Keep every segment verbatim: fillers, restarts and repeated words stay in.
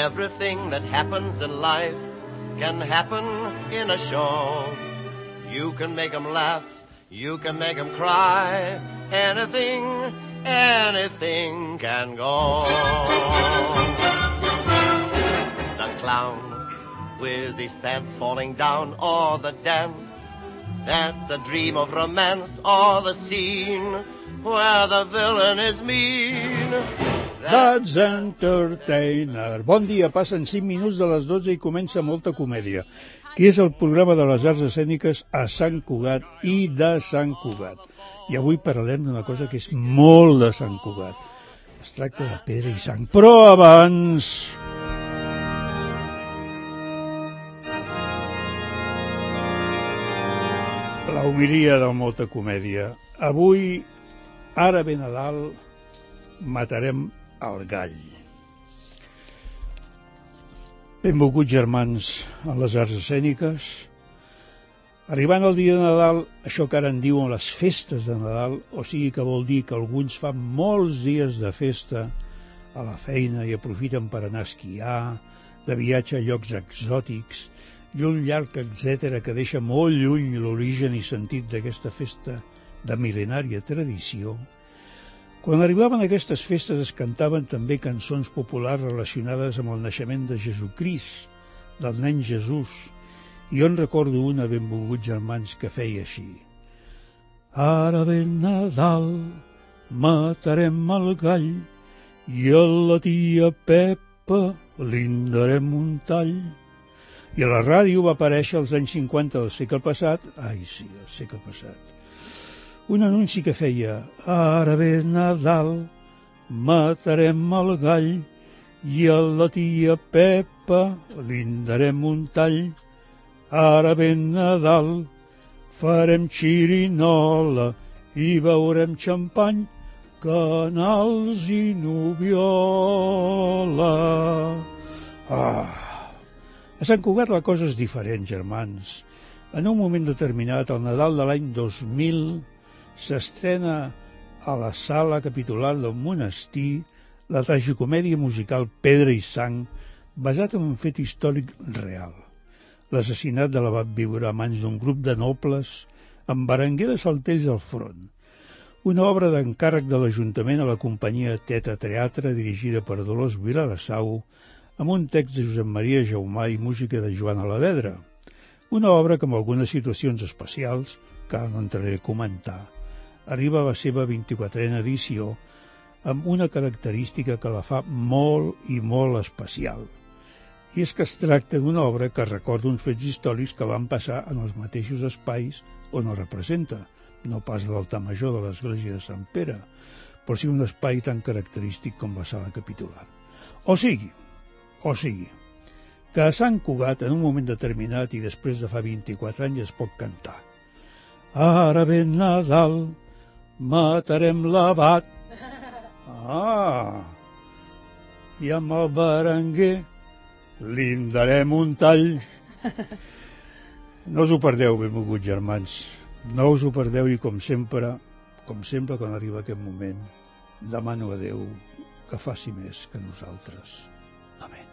Everything that happens in life can happen in a show. You can make them laugh, you can make them cry. Anything, anything can go. The clown with his pants falling down, or the dance that's a dream of romance, or the scene where the villain is mean. That's Entertainer. Bon dia, passen cinc minuts de les dotze i comença Molta Comèdia, que és el programa de les arts escèniques a Sant Cugat i de Sant Cugat. I avui parlarem d'una cosa que és molt de Sant Cugat. Es tracta de pedra i sang. Però abans... la homilia del Molta Comèdia. Avui, ara ve Nadal, matarem el gall. Benvolguts germans en les arts escèniques. Arribant el dia de Nadal, això que ara en diuen les festes de Nadal, o sigui que vol dir que alguns fan molts dies de festa a la feina i aprofiten per anar a esquiar, de viatge a llocs exòtics, i un llarg etcètera que deixa molt lluny l'origen i sentit d'aquesta festa de mil·lenària tradició. Quan arribaven aquestes festes es cantaven també cançons populars relacionades amb el naixement de Jesucrist, del nen Jesús, i jo en recordo una, benvolguts germans, que feia així. Ara ve Nadal, matarem el gall, i a la tia Pepa li darem un tall. I a la ràdio va aparèixer als anys cinquanta del segle passat, ai sí, el segle passat, un anunci que feia ara ve Nadal, matarem el gall i a la tia Pepa li darem un tall. Ara ve Nadal, farem xirinola i beurem xampany, canals i noviola. Ah! A Sant Cugat la cosa és diferent, germans. En un moment determinat, al Nadal de l'any dos mil, s'estrena a la sala capitular del monestir la tragicomèdia musical Pedra i sang, basat en un fet històric real. L'assassinat de l'abat Biure a mans d'un grup de nobles amb Berenguer de Saltells al front. Una obra d'encàrrec de l'Ajuntament a la companyia Teta Teatre, dirigida per Dolors Vilarasau, amb un text de Josep Maria Jaumà i música de Joan Alavedra. Una obra que amb algunes situacions especials, que ara no entraré a comentar, arriba a la seva vint-i-quatrena edició amb una característica que la fa molt i molt especial. I és que es tracta d'una obra que recorda uns fets històrics que van passar en els mateixos espais on el representa, no pas l'altar major de l'església de Sant Pere, però sí un espai tan característic com la sala capitular. O sigui, o sigui, que a Sant Cugat, en un moment determinat i després de fa vint-i-quatre anys, es pot cantar. Ara ve Nadal, matarem l'abat. Ah! I amb el Berenguer li darem un tall. No us ho perdeu, benvolguts germans. No us ho perdeu i com sempre, com sempre quan arriba aquest moment, demano a Déu que faci més que nosaltres. Amén.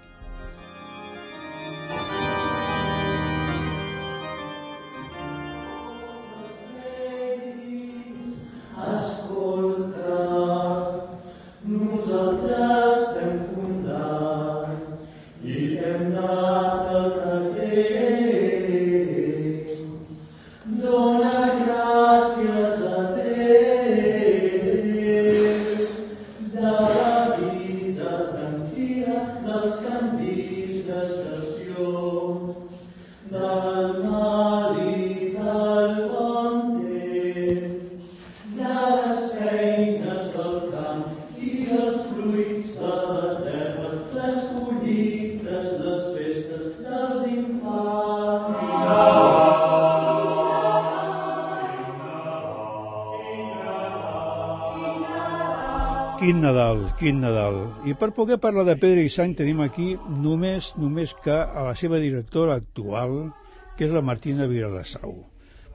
Quin Nadal, quin Nadal. I per poder parlar de Pedra i sang tenim aquí només, només que a la seva directora actual, que és la Martina Vilarasau.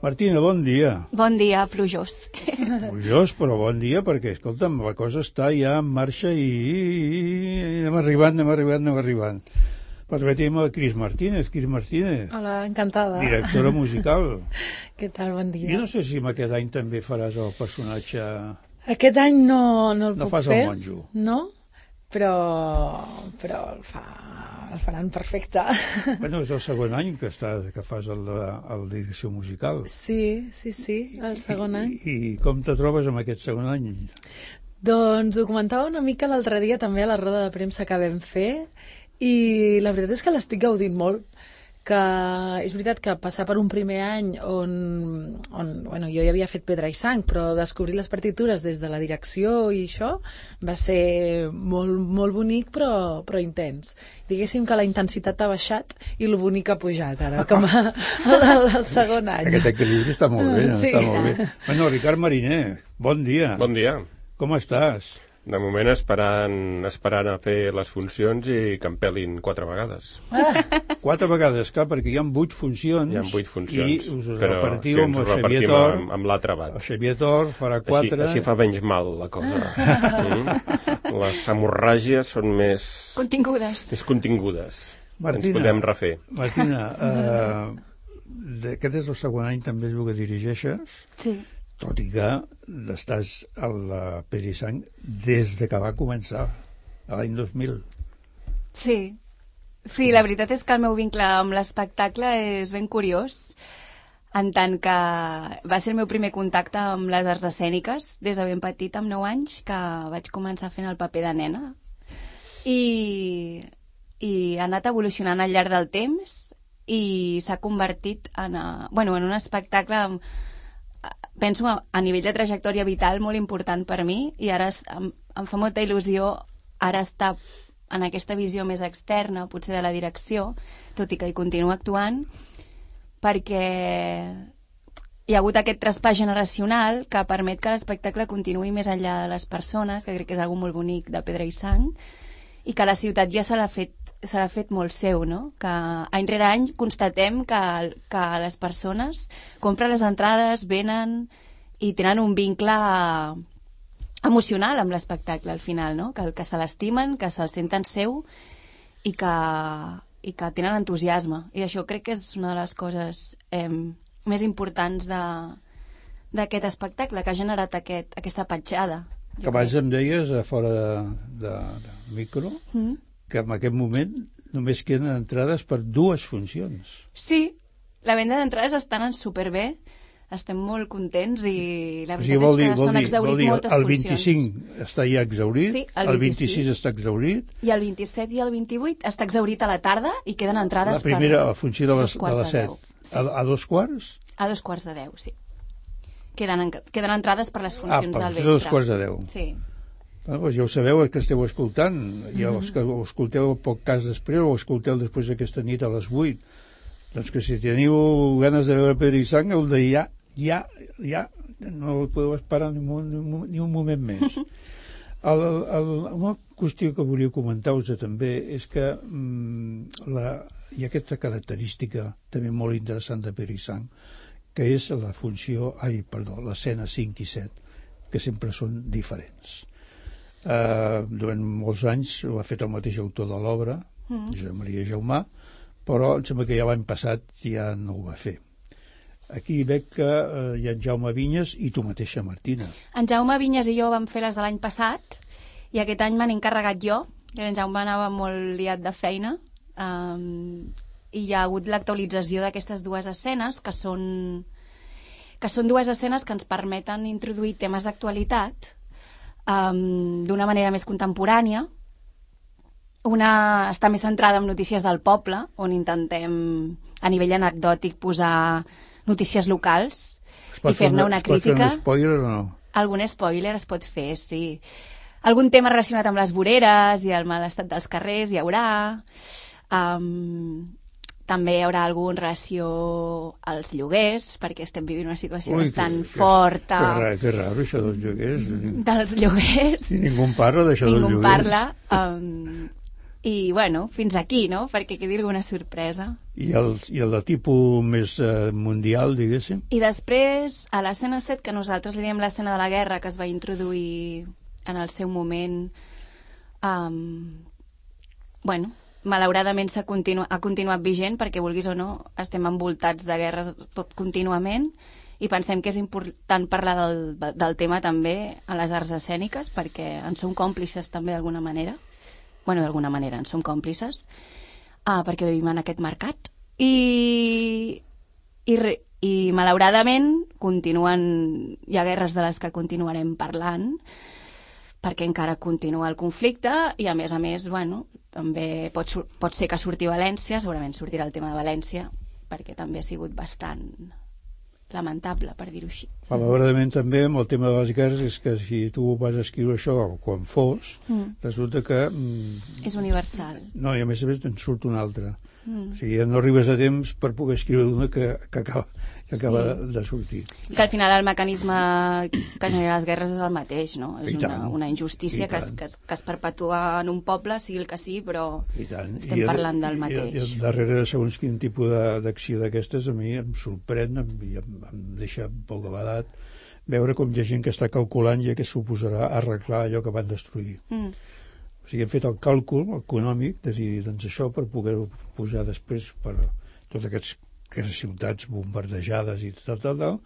Martina, bon dia. Bon dia, plujós. Plujós, però bon dia, perquè, escolta'm, la cosa està ja en marxa i, i, i anem arribant, anem arribant, anem arribant. Permetim a Cris Martínez. Cris Martínez. Hola, encantada. Directora musical. Què tal, bon dia. Jo no sé si aquest any també faràs el personatge... Aquest any no, no el no puc fer. No fas el monjo. No, però, però el, fa, el faran perfecte. Bueno, és el segon any que, està, que fas el, el direcció musical. Sí, sí, sí, el segon I, any. I, I com te trobes amb aquest segon any? Doncs ho comentava una mica l'altre dia també a la roda de premsa que vam fer i la veritat és que l'estic gaudint molt, que és veritat que passar per un primer any on, on bueno, jo ja havia fet Pedra i Sang, però descobrir les partitures des de la direcció i això va ser molt, molt bonic però, però intens. Diguéssim que la intensitat ha baixat i el bonic ha pujat ara, com a, el, el segon any. Aquest equilibri està molt bé, Sí. està molt bé. Bueno, Ricard Mariner, bon dia. Bon dia. Com estàs? De moment esperant, esperant a fer les funcions i que em pelin quatre vegades. Quatre vegades, clar, perquè hi ha vuit funcions. Hi ha vuit funcions. I us però repartiu sí, amb ens el ho Xavier repartim Tor. amb, amb l'altre bat. El Xavier Tor farà quatre. Així, així fa menys mal la cosa. Mm? Les hemorràgies són més... Contingudes. més contingudes. Martina, Ens podem refer. Martina, eh, aquest és el segon any també el que dirigeixes, Sí. tot i que estàs a la Pedra i Sang des de que va començar, a l'any dos mil. Sí. Sí, la veritat és que el meu vincle amb l'espectacle és ben curiós, en tant que va ser el meu primer contacte amb les arts escèniques des de ben petit, amb nou anys, que vaig començar fent el paper de nena. I, i ha anat evolucionant al llarg del temps i s'ha convertit en, a, bueno, en un espectacle amb, penso a, a nivell de trajectòria vital molt important per mi i ara es, em, em fa molta il·lusió ara estar en aquesta visió més externa, potser de la direcció, tot i que hi continuo actuant, perquè hi ha hagut aquest traspàs generacional que permet que l'espectacle continuï més enllà de les persones, que crec que és algo molt bonic de Pedra i Sang, i que la ciutat ja se l'ha fet, se l'ha fet molt seu, no? Que any rere any constatem que, que les persones compren les entrades, venen i tenen un vincle emocional amb l'espectacle al final, no? Que, que se l'estimen, que se'l senten seu i que, i que tenen entusiasme. I això crec que és una de les coses eh, més importants de, d'aquest espectacle, que ha generat aquest, aquesta petjada. Que abans em deies, a fora de, de, de micro, mm. que en aquest moment només queden entrades per dues funcions. Sí, la venda d'entrades estan en superbé, estem molt contents i la O sigui, veritat vol dir, és que vol s'han dir, exhaurit vol dir, moltes el funcions. vint-i-cinc està ja exhaurit, Sí, el el vint-i-sis vint-i-sis està exhaurit, i el vint-i-set i el vint-i-vuit està exhaurit a la tarda i queden entrades la primera, per la funció de les, dos de quarts les de set. deu. Sí. A, a dos quarts? A dos quarts de deu, sí. Queden, en, queden entrades per les Ah, funcions per del a vespre. dos quarts de deu. Sí. Bueno, doncs ja ho sabeu, que esteu escoltant, i els que ho escolteu poc cas després o ho escolteu després d'aquesta nit a les vuit, doncs que si teniu ganes de veure Pedra i Sang, heu de ja, ja, ja, no podeu esperar ni un, ni un moment més. El, el, una qüestió que volia comentar-vos també és que mm, la, hi ha aquesta característica també molt interessant de Pedra i Sang, que és la funció, ai, perdó, l'escena cinc i set, que sempre són diferents. Uh, durant molts anys ho ha fet el mateix autor de l'obra, mm. Josep Maria Jaumà, però em sembla que ja l'any passat ja no ho va fer. Aquí veig que uh, hi ha en Jaume Vinyes i tu mateixa, Martina. En Jaume Vinyes i jo vam fer les de l'any passat i aquest any m'han encarregat jo, i en Jaume anava molt liat de feina, um, i hi ha hagut l'actualització d'aquestes dues escenes que són, que són dues escenes que ens permeten introduir temes d'actualitat Um, d'una manera més contemporània. Una està més centrada en notícies del poble, on intentem a nivell anecdòtic posar notícies locals i fer-ne una crítica. Es pot fer un spoiler o no? Algun spoiler es pot fer, sí. Algun tema relacionat amb les voreres i el mal estat dels carrers hi haurà. Um, també hi haurà algun relació als lloguers, perquè estem vivint una situació Ui, bastant que, forta. Que, que, que raro, això dels lloguers. Dels lloguers. I ningú parla d'això dels lloguers. Ningú parla. Um, I, bueno, fins aquí, no? Perquè quedi alguna sorpresa. I el, i el de tipus més eh, mundial, diguéssim? I després, a l'escena set, que nosaltres li diem l'escena de la guerra, que es va introduir en el seu moment, um, bueno, malauradament s'ha continu ha continuat vigent, perquè vulguis o no, estem envoltats de guerres tot contínuament, i pensem que és important parlar del, del tema també a les arts escèniques, perquè en som còmplices també d'alguna manera. Bueno, d'alguna manera en som còmplices, uh, perquè vivim en aquest mercat. I, i, re, i malauradament continuen, hi ha guerres de les que continuarem parlant, perquè encara continua el conflicte, i a més a més, bueno, també pot, pot ser que surti València, segurament sortirà el tema de València, perquè també ha sigut bastant lamentable, per dir-ho així. Malauradament també amb el tema de les guerres és que si tu vas escriure això quan fos, mm. resulta que... Mm, és universal. No, i a més a més en surt una altra. Mm. O sigui, ja no arribes a temps per poder escriure una que, que acaba, que acaba sí. de, de sortir. I que al final el mecanisme que genera les guerres és el mateix, no? És una, una injustícia que es, que, es, que es perpetua en un poble, sigui el que sigui, però estem I parlant del mateix. I, i darrere, segons quin tipus d'acció d'aquestes, a mi em sorprèn i em, em deixa bocabadat veure com hi ha gent que està calculant ja què suposarà arreglar allò que van destruir. Mm. O sigui, hem fet el càlcul econòmic de dir, doncs això per poder-ho posar després per tots aquests, aquestes ciutats bombardejades i tal, tal, tal,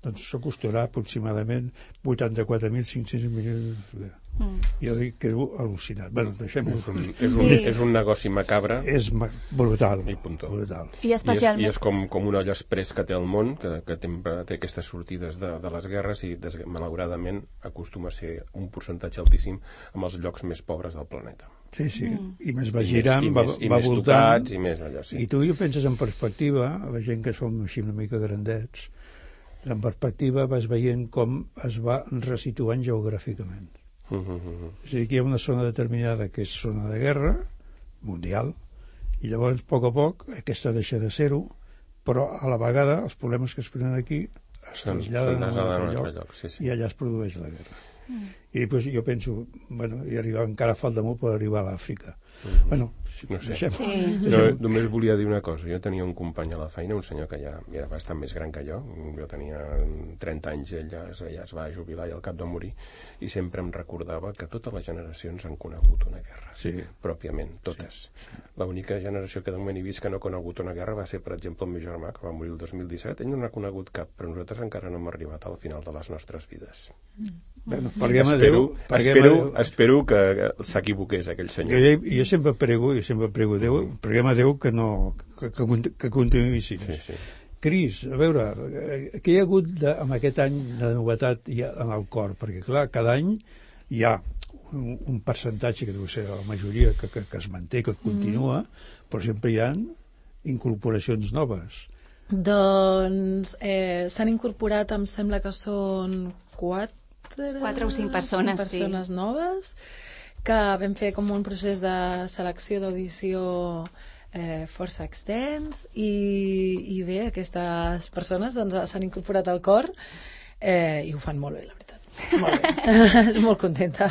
doncs això costarà aproximadament vuitanta-quatre mil cinc-cents milions de... Mm. Jo dic que era al·lucinat. Bueno, deixem-ho. És, un, és, un, sí. és un negoci macabre. És ma brutal. I puntó. Brutal. I, especialment... I és, i és com, com un olla express que té el món, que, que té, té aquestes sortides de, de les guerres i des, malauradament acostuma a ser un percentatge altíssim amb els llocs més pobres del planeta. Sí, sí. Mm. I més va girant, I va, més, i va més voltant. Tocats, i més allò, sí. I tu ja penses en perspectiva, la gent que som així una mica grandets, en perspectiva vas veient com es va resituant geogràficament. Uh -huh. És a dir, que hi ha una zona determinada que és zona de guerra mundial i llavors a poc a poc aquesta deixa de ser-ho, però a la vegada els problemes que es prenen aquí es traslladen a un altre lloc, lloc sí, sí. i allà es produeix la guerra. Mm. I després jo penso, bueno, i arribar, encara falta molt per arribar a l'Àfrica. Mm-hmm. Bueno, si, no sé. deixem, sí. deixem. No, només volia dir una cosa. Jo tenia un company a la feina, un senyor que ja era bastant més gran que jo. Jo tenia trenta anys, ell ja, ja es va jubilar i al cap de morir, i sempre em recordava que totes les generacions han conegut una guerra. Sí. Pròpiament, totes. Sí. L'única generació que de moment he vist que no ha conegut una guerra va ser, per exemple, el meu germà, que va morir el dos mil disset. Ell no n'ha conegut cap, però nosaltres encara no hem arribat al final de les nostres vides. Mm. Bueno, espero, Déu, espero, espero que s'equivoqués aquell senyor. Jo, jo sempre prego, jo sempre prego Déu, mm. preguem a Déu que no que, que, que continuï així. Sí, sí. Cris, a veure, què hi ha hagut de, amb aquest any de novetat en el cor? Perquè, clar, cada any hi ha un, un percentatge que deu ser la majoria que, que, que es manté, que continua, mm. però sempre hi ha incorporacions noves. Doncs eh, s'han incorporat, em sembla que són quatre Quatre o cinc persones, cinc persones sí. noves, que vam fer com un procés de selecció d'audició eh, força extens i, i bé, aquestes persones doncs, s'han incorporat al cor eh, i ho fan molt bé, la veritat. Molt bé. Estic molt contenta.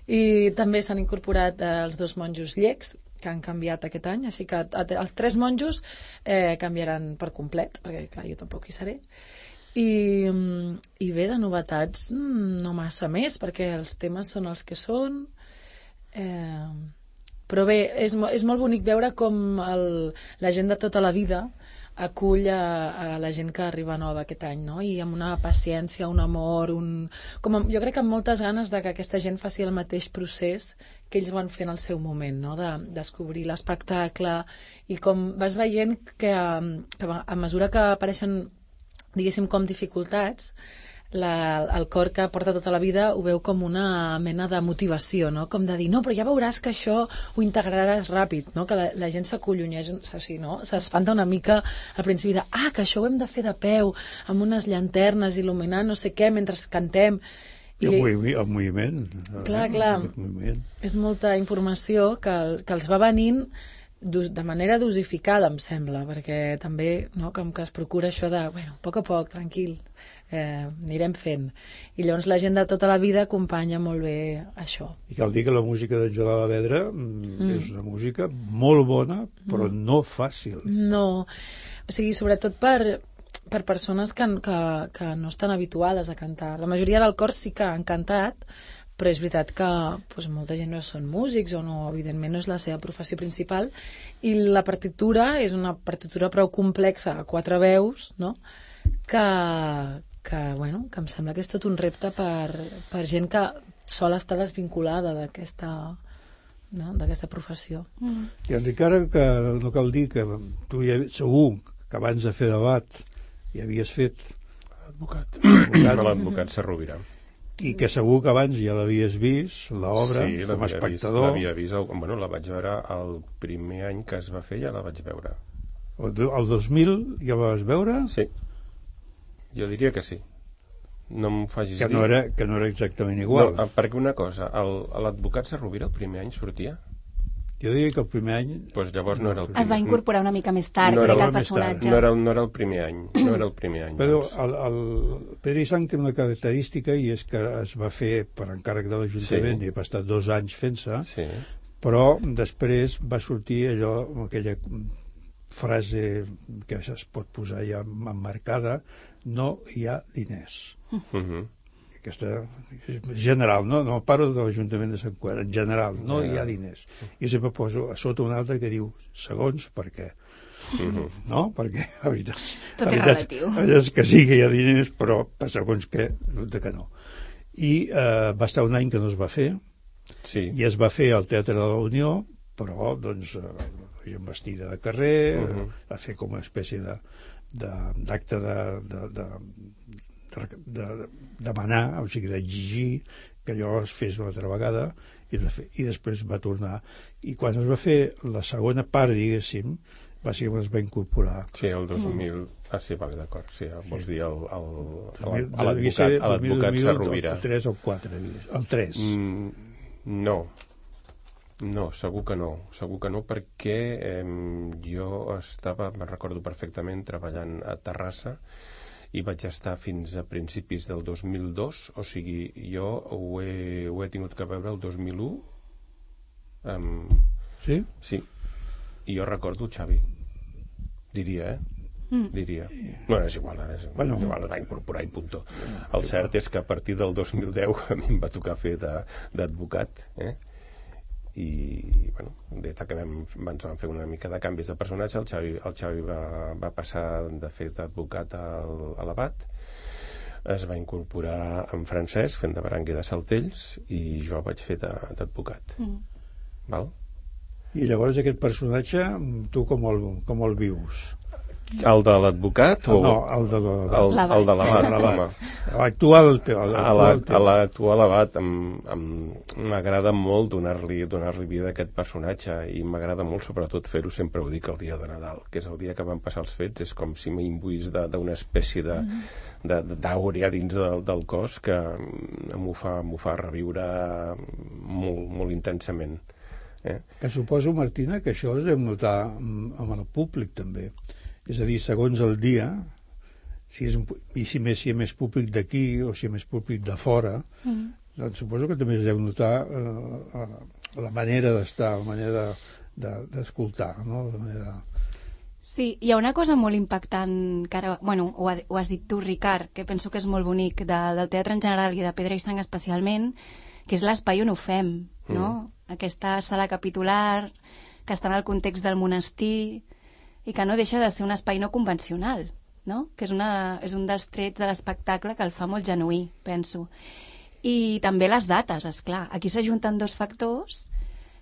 I també s'han incorporat eh, els dos monjos llecs, que han canviat aquest any, així que els tres monjos eh, canviaran per complet, perquè clar, jo tampoc hi seré. I, i bé, de novetats no massa més, perquè els temes són els que són, eh, però bé, és, és molt bonic veure com el, la gent de tota la vida acull a, a la gent que arriba nova aquest any, no? I amb una paciència, un amor, un... Com a, jo crec que amb moltes ganes de que aquesta gent faci el mateix procés que ells van fer en el seu moment, no? De descobrir l'espectacle, i com vas veient que, que a mesura que apareixen, diguéssim, com dificultats, la, el cor que porta tota la vida ho veu com una mena de motivació, no? Com de dir, no, però ja veuràs que això ho integraràs ràpid, no? Que la, la gent s'acolloneix, o sigui, no? S'espanta una mica al principi de, ah, que això ho hem de fer de peu, amb unes llanternes il·luminant no sé què mentre cantem. I el, movi el moviment. Clar, clar. Moviment. És molta informació que, que els va venint de manera dosificada, em sembla, perquè també, no, com que es procura això de, bueno, a poc a poc, tranquil, eh, anirem fent. I llavors la gent de tota la vida acompanya molt bé això. I cal dir que la música d'en Joan Alavedra mm. és una música molt bona, però mm. no fàcil. No, o sigui, sobretot per, per persones que, que, que no estan habituades a cantar. La majoria del cor sí que han cantat, però és veritat que doncs, molta gent no són músics o no, evidentment no és la seva professió principal, i la partitura és una partitura prou complexa a quatre veus, no? que, que, bueno, que em sembla que és tot un repte per, per gent que sol estar desvinculada d'aquesta, no? d'aquesta professió. Mm. I encara que no cal dir que tu ja, segur que abans de fer debat ja havies fet l'advocat, l'advocat Sarrovira, i que segur que abans ja l'havies vist, l'obra, sí, com a espectador. L'havia vist, el, bueno, la vaig veure el primer any que es va fer, ja la vaig veure. El, el dos mil ja la vas veure? Sí, jo diria que sí. No em facis que dir... No era, que no era exactament igual. No, perquè una cosa, l'advocat Sarrovira el primer any sortia? Jo diria que el primer any... Pues llavors no era el primer. Es va incorporar una mica més tard, no crec, el el personatge. No era, no era el primer any, no era el primer any. Però el, el Pedro i Sang té una característica, i és que es va fer per encàrrec de l'Ajuntament, sí. i va estar dos anys fent-se, sí. però després va sortir allò, aquella frase que es pot posar ja emmarcada: no hi ha diners. Uh-huh. Aquesta general, no, no parlo de l'Ajuntament de Sant Cugat, en general, no hi ha diners. I sempre poso a sota un altre que diu segons per què. Uh-huh. No? Perquè la veritat, tot la és veritat relatiu. És que sí que hi ha diners, però per segons què, de que no. I eh, va estar un any que no es va fer, sí. i es va fer al Teatre de la Unió, però doncs la gent vestida de carrer, uh-huh. va fer com una espècie de, de, d'acte de, de, de de, de demanar, o sigui, d'exigir que allò es fes una altra vegada, i, i després va tornar. I quan es va fer la segona part, diguéssim, bàsicament es va incorporar. Sí, el dos mil... Mm. Ah, sí, vale, d'acord. Sí, vols sí. dir el, el, el, a l'advocat Sarrovira. El tres o el quatre, el tres. Mm, no. No, segur que no. Segur que no, perquè eh, jo estava, me'n recordo perfectament, treballant a Terrassa, i vaig estar fins a principis del dos mil dos, o sigui, jo ho he, ho he tingut que veure el dos mil u. Um, sí? Sí. I jo recordo el Xavi. Diria, eh? Mm. Diria. Bueno, és igual, ara és, bueno, és igual, va incorporar i puntó. El cert és que a partir del dos mil deu a mi em va tocar fer d'advocat, eh? I, bueno, des que vam, ens vam fer una mica de canvis de personatge, el Xavi, el Xavi va, va passar de fer d'advocat al, a l'abat, es va incorporar en Francesc fent de Barangui de Saltells, i jo vaig fer d'advocat. Mm. Val? I llavors aquest personatge, tu com el, com el vius? El de l'advocat? O... No, el de l'abat. El, el de l'abat. L'actual a l'actual abat m'agrada molt donar-li donar-li vida a aquest personatge, i m'agrada molt sobretot fer-ho, sempre ho dic, el dia de Nadal, que és el dia que van passar els fets. És com si m'imbuís d'una espècie de d'àurea dins del, del cos que m'ho fa, m'ho fa reviure molt, molt intensament. Eh? Que suposo, Martina, que això es deu notar amb el públic també. És a dir, segons el dia, si és, i si més, si hi ha més públic d'aquí o si hi ha més públic de fora, mm. doncs suposo que també es deu notar eh, la manera d'estar, la manera d'escoltar, de, de, no? La manera... Sí, hi ha una cosa molt impactant, que ara, bueno, ho, ha, ho has dit tu, Ricard, que penso que és molt bonic, de, del teatre en general i de Pedra i Sang especialment, que és l'espai on ho fem, no? Mm. Aquesta sala capitular, que està en el context del monestir, i que no deixa de ser un espai no convencional, no? Que és, una, és un dels trets de l'espectacle que el fa molt genuí, penso. I també les dates, és clar. Aquí s'ajunten dos factors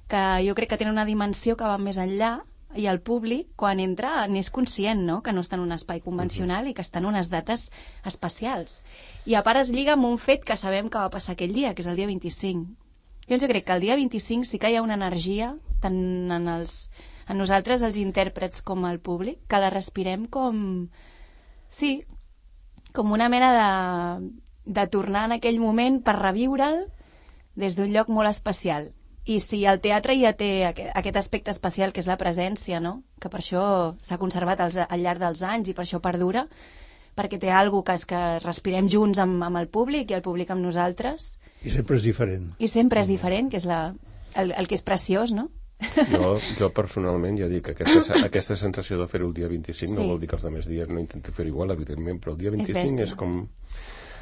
que jo crec que tenen una dimensió que va més enllà, i el públic, quan entra, n'és conscient, no?, que no està en un espai convencional i que està en unes dates especials. I a part es lliga amb un fet que sabem que va passar aquell dia, que és el dia vint-i-cinc. Jo crec que el dia vint-i-cinc sí que hi ha una energia, tant en, els, en nosaltres, els intèrprets, com al públic, que la respirem com... Sí, com una mena de, de tornar en aquell moment per reviure'l des d'un lloc molt especial. I si el teatre ja té aquest aspecte especial, que és la presència, no?, que per això s'ha conservat als, al llarg dels anys i per això perdura, perquè té alguna cosa que és que respirem junts amb, amb el públic i el públic amb nosaltres. I sempre és diferent. I sempre és diferent, que és la, el, el que és preciós, no? Jo, jo personalment ja dic que aquesta, aquesta sensació de fer-ho el dia vint-i-cinc sí. no vol dir que els altres dies no intento fer igual, evidentment, però el dia vint-i-cinc és, és com...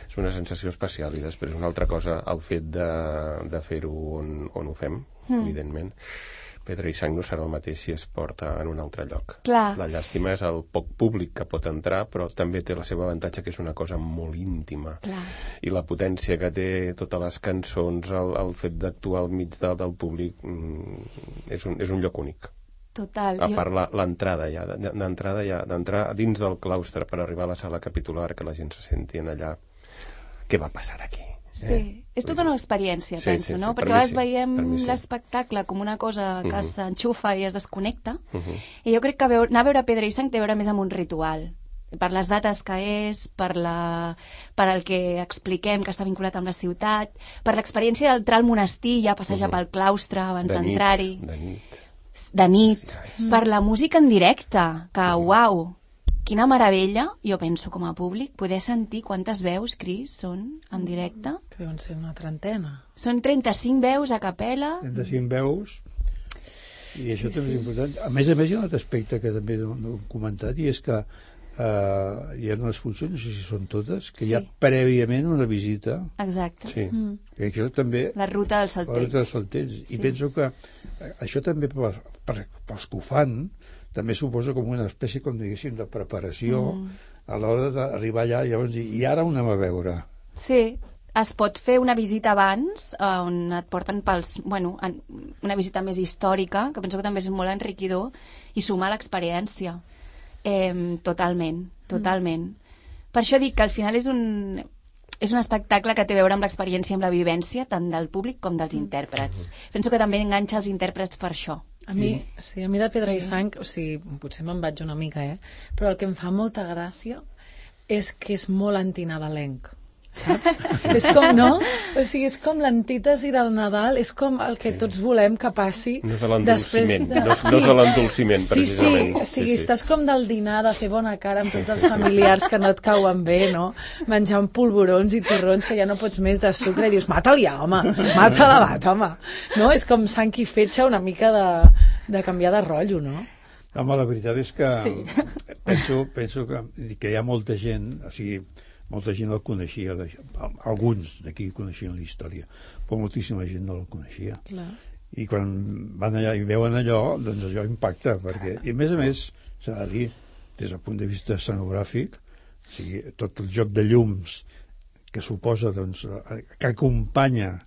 és una sensació especial i després una altra cosa el fet de, de fer-ho on, on ho fem, mm. evidentment. Pedra i Sang no serà el mateix si es porta en un altre lloc. Clar. La llàstima és el poc públic que pot entrar, però també té la seva avantatge que és una cosa molt íntima. Clar. I la potència que té totes les cançons, el, el fet d'actuar al mig de, del públic, mm, és, un, és un lloc únic. Total. A part, jo... l'entrada ja, d'entrada ja, d'entrar dins del claustre per arribar a la sala capitular, que la gent se senti en allà. Què va passar aquí? Sí, eh? és tota una experiència, sí, penso, sí, sí, no? per Perquè a vegades sí, veiem sí. l'espectacle com una cosa que uh -huh. s'enxufa i es desconnecta, uh -huh. i jo crec que veu, anar a veure Pedra i Sang té a veure més amb un ritual, per les dates que és, per, la, per el que expliquem que està vinculat amb la ciutat, per l'experiència d'entrar al monestir i ja passejar uh -huh. pel claustre abans d'entrar-hi. De nit. De nit. Sí, per la música en directe, que, uh -huh. uau, quina meravella, jo penso, com a públic, poder sentir quantes veus, Cris, són en directe. Que deuen ser una trentena. Són trenta-cinc veus a capella. trenta-cinc veus, i això sí, també sí. és important. A més a més, hi ha un altre aspecte que també no, no he comentat, i és que uh, hi ha unes funcions, no sé si són totes, que sí. hi ha prèviament una visita. Exacte. Sí. Mm. Que això també... La ruta dels Saltells. La ruta dels Saltells. Sí. I penso que això també per, per, pels que ho fan també suposa com una espècie, com diguéssim, de preparació mm. a l'hora d'arribar allà i llavors dir, i ara on anem a veure? Sí, es pot fer una visita abans, on et porten pels... Bueno, una visita més històrica, que penso que també és molt enriquidor, i sumar l'experiència. Eh, totalment, totalment. Mm. Per això dic que al final és un... és un espectacle que té a veure amb l'experiència i amb la vivència, tant del públic com dels intèrprets. Penso que també enganxa els intèrprets per això. A mi, sí, a mi de Pedra i Sang, o sigui, potser me'n vaig una mica, eh? Però el que em fa molta gràcia és que és molt antinadalenc, saps? És com, no? O sigui, és com l'antítesi del Nadal, és com el que tots volem que passi. No és l'endolciment, de... no, sí. no és l'endolciment, sí, precisament. Sí, o sigui, sí, sí. estàs com del dinar, de fer bona cara amb tots els familiars que no et cauen bé, no? Menjant polvorons i torrons que ja no pots més de sucre i dius, mata-li, home, mata-la, mata, home. No? És com sang i fetge una mica de, de canviar de rotllo, no? Home, la veritat és que sí. penso, penso que, que hi ha molta gent, o sigui, molta gent el coneixia, alguns d'aquí coneixien la història, però moltíssima gent no la coneixia. Clar. I quan van allà i veuen allò, doncs allò impacta, perquè, i a més a més, s'ha de dir, des del punt de vista escenogràfic, o sigui, tot el joc de llums que suposa, doncs, que acompanya,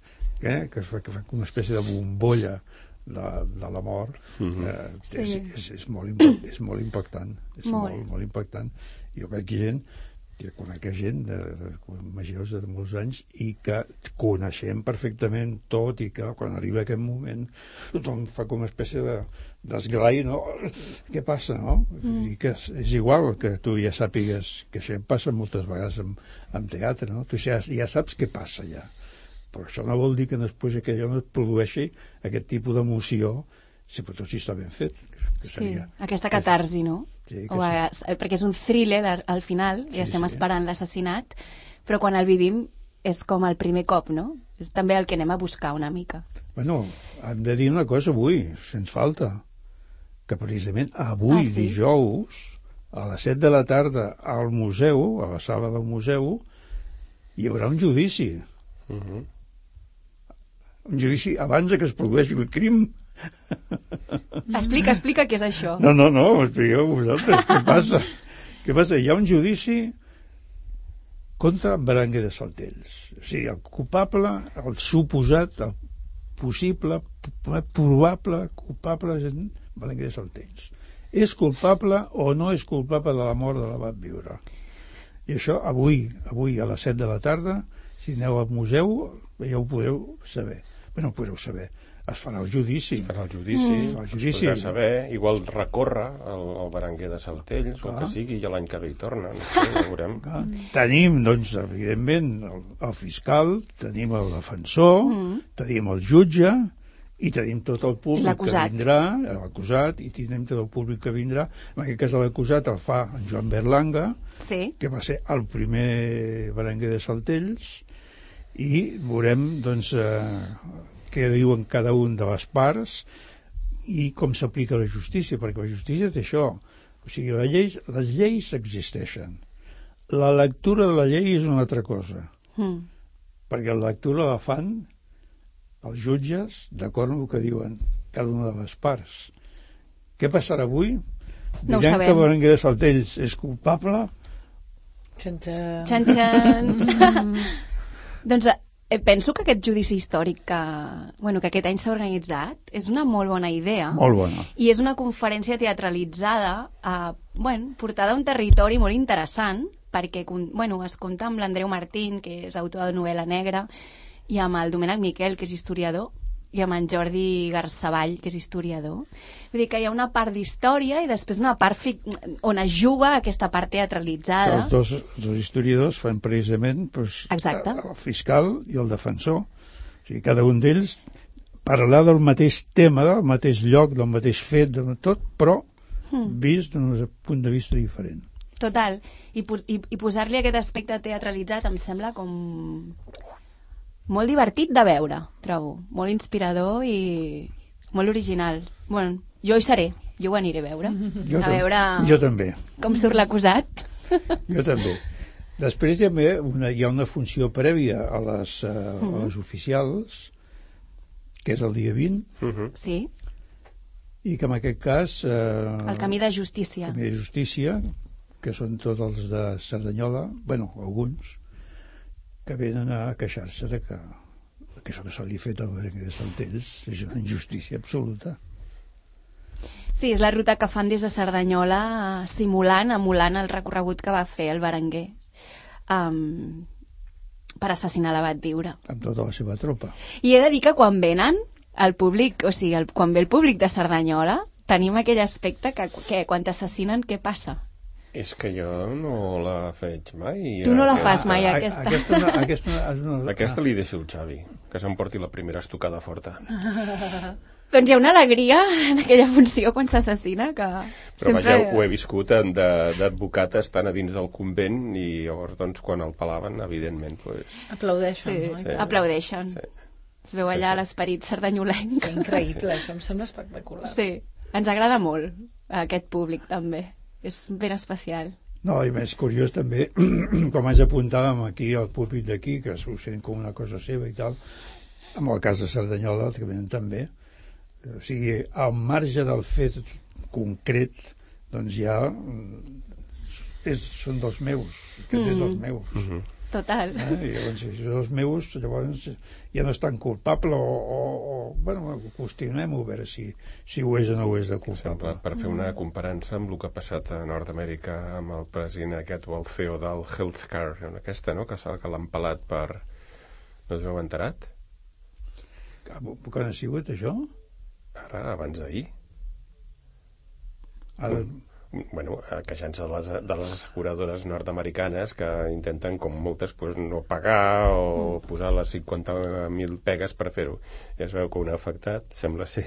eh, que fa, que fa una espècie de bombolla de, de la mort, mm-hmm. eh, sí. és, és, és, molt, impact, és molt impactant, és molt. molt, molt impactant. Jo crec que gent que conec gent de, de, majors de molts anys i que coneixem perfectament tot i que quan arriba aquest moment tothom fa com una espècie de d'esglai, no? Què passa, no? Mm. I que és, és igual que tu ja sàpigues que això passa moltes vegades en, en teatre, no? Tu ja, ja saps què passa ja, però això no vol dir que després que allò no et produeixi aquest tipus d'emoció, sobretot si està ben fet, que seria... Sí, aquesta catarsi, no? Sí, o a, perquè és un thriller al final i sí, estem sí. esperant l'assassinat, però quan el vivim és com el primer cop, no? És també el que anem a buscar una mica. Bueno, hem de dir una cosa avui, sens falta, que precisament avui, ah, sí? dijous, a les set de la tarda al museu, a la sala del museu, hi haurà un judici. Uh-huh. Un judici abans que es produeixi el crim. Explica, explica què és això. No, no, no, ho expliqueu vosaltres. Què passa? Què passa? Hi ha un judici contra Berenguer de Saltells. O sigui, el culpable, el suposat, el possible, probable culpable és Berenguer de Saltells. És culpable o no és culpable de la mort de l'abat Viure. I això avui, avui a les set de la tarda, si aneu al museu, ja ho podreu saber. Bé, no ho podreu saber. Es farà el judici. Es farà el judici, mm. es, farà el judici. Es podrà saber, igual recorre el, el Berenguer de Saltells, clar. O que sigui, i l'any que ve hi torna, no sé, ja veurem. Clar. Tenim, doncs, evidentment, el, el fiscal, tenim el defensor, mm. tenim el jutge, I tenim tot el I públic que l'acusat. vindrà, l'acusat, i tenim tot el públic que vindrà. En aquest cas l'acusat el fa en Joan Berlanga, Sí. que va ser el primer berenguer de Saltells, i veurem doncs, eh, què diuen cada un de les parts i com s'aplica la justícia, perquè la justícia té això. O sigui, la llei, les lleis existeixen. La lectura de la llei és una altra cosa, Mm. perquè la lectura la fan els jutges d'acord amb el que diuen cada una de les parts. Què passarà avui? No ho Diran sabem. que Berenguer de Saltells és culpable? Xan, xan. Xan, xan. Doncs eh, penso que aquest judici històric que, bueno, que aquest any s'ha organitzat és una molt bona idea. Molt bona. I és una conferència teatralitzada, eh, bueno, portada a un territori molt interessant, perquè con- bueno, es compta amb l'Andreu Martín, que és autor de novel·la negra, i amb el Domènec Miquel, que és historiador, i amb en Jordi Garçavall, que és historiador. Vull dir que hi ha una part d'història i després una part fi- on es juga aquesta part Que teatralitzada. els dos, els dos historiadors fan precisament doncs, Exacte. el fiscal i el defensor. O sigui, cada un d'ells parlar del mateix tema, del mateix lloc, del mateix fet, de tot, però Hmm. vist d'un punt de vista diferent. Total. I, po- i, i posar-li aquest aspecte teatralitzat em sembla com molt divertit de veure, trobo. Molt inspirador i molt original. Bueno, jo hi seré, jo ho aniré a veure. Jo, a tam- veure jo també. com surt l'acusat. Jo també. Després hi ha una, hi ha una funció prèvia a les, uh, a les oficials, que és el dia vint, Uh-huh. Sí, i que en aquest cas... Eh, el camí de justícia. Camí de Justícia, que són tots els de Cerdanyola, bueno, alguns, que venen a queixar-se de que, que això que se li ha fet al Berenguer de Saltells és una injustícia absoluta. Sí, és la ruta que fan des de Cerdanyola, eh, simulant, emulant el recorregut que va fer el Berenguer um, per assassinar l'abat Viure. Amb tota la seva tropa. I he de dir que quan venen el públic, o sigui, el, quan ve el públic de Cerdanyola, tenim aquell aspecte que, que quan t'assassinen, què passa? És que jo no la faig mai. Tu no la Eh, fas mai, A- a- aquesta. Aquesta, no- aquesta, és una- Aquesta li deixo el Xavi, que s'emporti la primera estocada forta. Doncs hi ha una alegria en aquella funció quan s'assassina que Però sempre... vaja, ho he viscut en de- d'advocat estant a dins del convent i llavors, doncs, quan el palaven, evidentment, pues, Aplaudeixo, Sí, no? Sí. aplaudeixen. sí. Es veu Sí, allà sí. l'esperit sardanyolenc. Que increïble, això em sembla espectacular. Sí, ens agrada molt aquest públic també. És ben especial. No, i més curiós també, com ens apuntàvem aquí al públic d'aquí, que s'ho sent com una cosa seva i tal, amb el cas de Cerdanyola, els que venen també, o sigui, al marge del fet concret, doncs ja mm, és, són dels meus, aquest és dels meus. Mhm. Total. Eh? I llavors, si és dels meus, llavors ja no és tan culpable o, o, o bueno, qüestionem-ho a veure si, si ho és o no ho és de Sembla, culpable. per fer una comparança amb el que ha passat a Nord-Amèrica amb el president aquest o el C E O del Healthcare, aquesta, no?, que, s'ha- que l'han pelat per... No us heu enterat? Quan ha sigut això? Ara, abans d'ahir. Ara, Bueno, queixant-se de les, de les asseguradores nord-americanes que intenten, com moltes, pues, no pagar o posar les cinquanta mil pegues per fer-ho. I es veu que un afectat sembla ser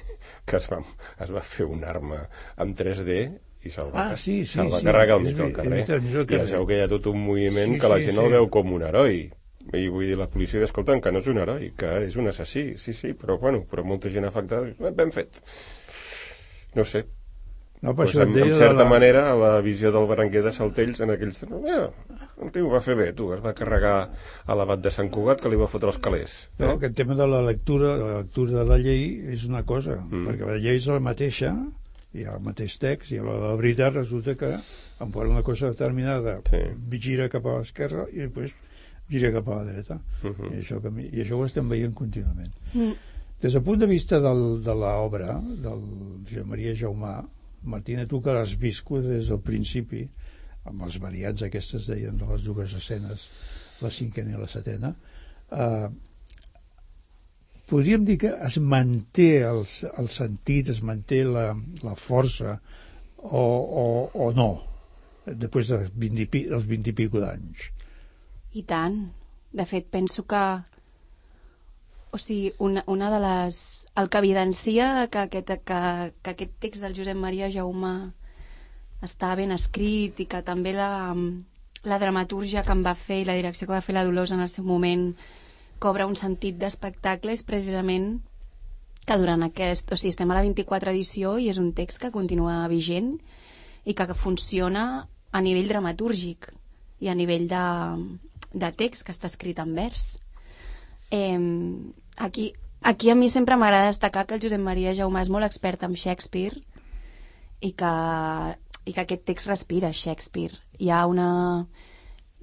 que es va, es va fer una arma amb tres D i se'l va, Ah, sí, sí, se'l va sí. carregar al És mig del ve- carrer. és veritat, al mig del I es carrer. veu que hi ha tot un moviment Sí, que la sí, gent sí. el veu com un heroi. I vull dir, la policia diu, escolta'm, que no és un heroi, que és un assassí. Sí, sí, però bueno, però molta gent afectada, "Eh, ben fet. No sé, no, per pues això et en, deia en de certa la- manera, la visió del Berenguer de Saltells en aquells temps, eh, el tio ho va fer bé, tu, es va carregar a l'abat de Sant Cugat que li va fotre els calés. No, aquest tema de la lectura, la lectura de la llei és una cosa, Mm. perquè la llei és la mateixa, hi ha el mateix text, i a la de la veritat resulta que em posa una cosa determinada, Sí. gira cap a l'esquerra i després gira cap a la dreta. Mhm. I, això, que, mi- I això ho estem veient contínuament. Mm. Des del punt de vista del, de l'obra del Josep Maria Jaumà, Martina, tu que l'has viscut des del principi, amb les variants aquestes deien de les dues escenes, la cinquena i la setena, eh, podríem dir que es manté el, el sentit, es manté la, la força o, o, o no, després dels vint i, pi, dels vint i pico d'anys. I tant. De fet, penso que... o sigui, una, una de les... El que evidencia que aquest, que, que aquest text del Josep Maria Jaumà està ben escrit i que també la, la dramatúrgia que em va fer i la direcció que va fer la Dolors en el seu moment cobra un sentit d'espectacle és precisament que durant aquest... O sigui, estem a la vint-i-quatre edició i és un text que continua vigent i que funciona a nivell dramatúrgic i a nivell de, de text que està escrit en vers. Eh, aquí, aquí a mi sempre m'agrada destacar que el Josep Maria Jaumà és molt expert en Shakespeare i que, i que aquest text respira Shakespeare. Hi ha, una,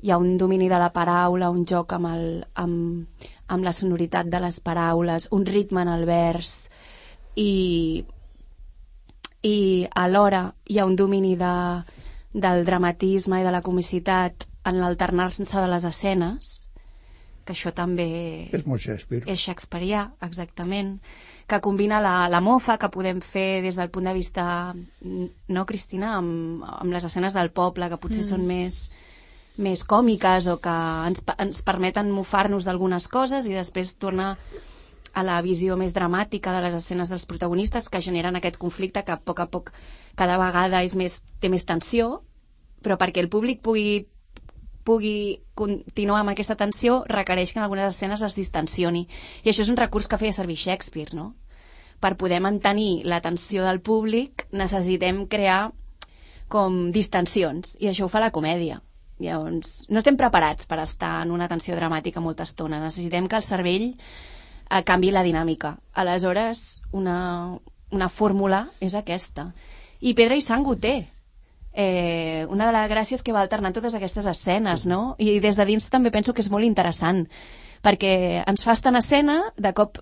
hi ha un domini de la paraula, un joc amb, el, amb, amb la sonoritat de les paraules, un ritme en el vers i, i alhora hi ha un domini de, del dramatisme i de la comicitat en l'alternar-se de les escenes, que això també és molt Shakespeare. És shakespearià, exactament, que combina la, la mofa que podem fer des del punt de vista, no, Cristina, amb, amb les escenes del poble, que potser mm. són més, més còmiques o que ens, ens permeten mofar-nos d'algunes coses i després tornar a la visió més dramàtica de les escenes dels protagonistes que generen aquest conflicte que a poc a poc cada vegada és més, té més tensió, però perquè el públic pugui pugui continuar amb aquesta tensió requereix que en algunes escenes es distensioni. I això és un recurs que feia servir Shakespeare, no? Per poder mantenir la tensió del públic necessitem crear com distensions, i això ho fa la comèdia. Llavors, no estem preparats per estar en una tensió dramàtica molta estona. Necessitem que el cervell eh, canvi la dinàmica. Aleshores, una, una fórmula és aquesta. I Pedra i Sang ho té. Eh, una de les gràcies que va alternant totes aquestes escenes, no? I des de dins també penso que és molt interessant perquè ens fa estar en escena, de cop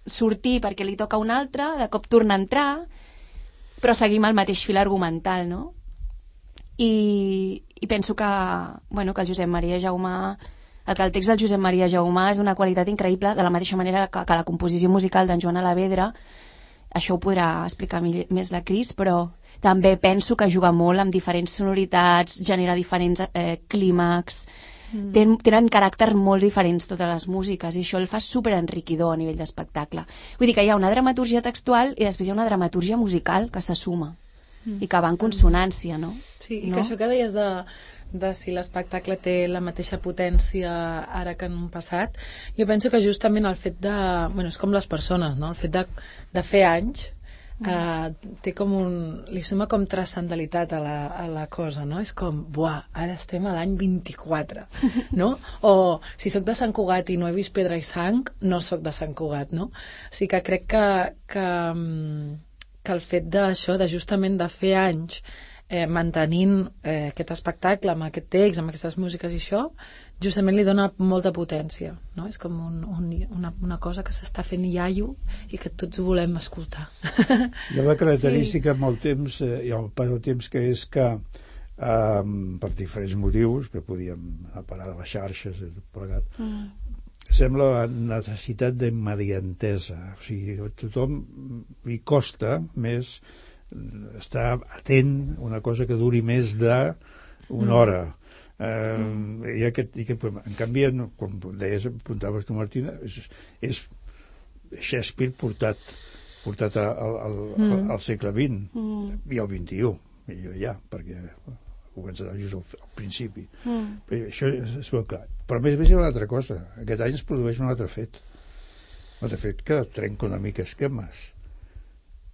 sortir perquè li toca un altre, de cop tornar a entrar, però seguim el mateix fil argumental, no? I, i penso que, bueno, que el Josep Maria Jaumà, el que el text del Josep Maria Jaumà és d'una qualitat increïble, de la mateixa manera que, que la composició musical d'en Joan Alavedra. Això ho podrà explicar més la Cris, però també penso que juga molt amb diferents sonoritats, genera diferents eh, clímax, mm. Ten, tenen caràcters molt diferents totes les músiques i això el fa superenriquidor a nivell d'espectacle. Vull dir que hi ha una dramatúrgia textual i després hi ha una dramatúrgia musical que se suma mm. i que va en consonància, no? Sí, i no? que això que deies de, de si l'espectacle té la mateixa potència ara que en un passat, jo penso que justament el fet de... Bueno, és com les persones, no? El fet de, de fer anys Uh, té com un... li suma com transcendentalitat a la, a la cosa, no? És com, buah, ara estem a l'any vint-i-quatre, no? O si sóc de Sant Cugat i no he vist Pedra i Sang, no sóc de Sant Cugat, no? O sigui que crec que, que, que el fet d'això, de justament de fer anys eh, mantenint eh, aquest espectacle amb aquest text, amb aquestes músiques i això, justament li dona molta potència, no? És com un, un, una, una cosa que s'està fent iaio i que tots volem escoltar. Hi ha la característica sí. amb el temps eh, i el pas del temps que és que eh, per diferents motius que podíem parar de les xarxes i tot plegat, mm. sembla la necessitat d'immediatesa, o sigui, a tothom li costa més estar atent a una cosa que duri més d'una mm. hora. Uh, mm. i aquest, i aquest, en canvi, com deies, apuntaves tu, Martina, és, és Shakespeare portat portat a, a, a, mm. al segle vint mm. i al vint-i-u millor ja, perquè començarà just al, al principi mm. però això és, és molt clar, però a més a més hi ha una altra cosa, aquest any es produeix un altre fet un altre fet que trenca una mica esquemes.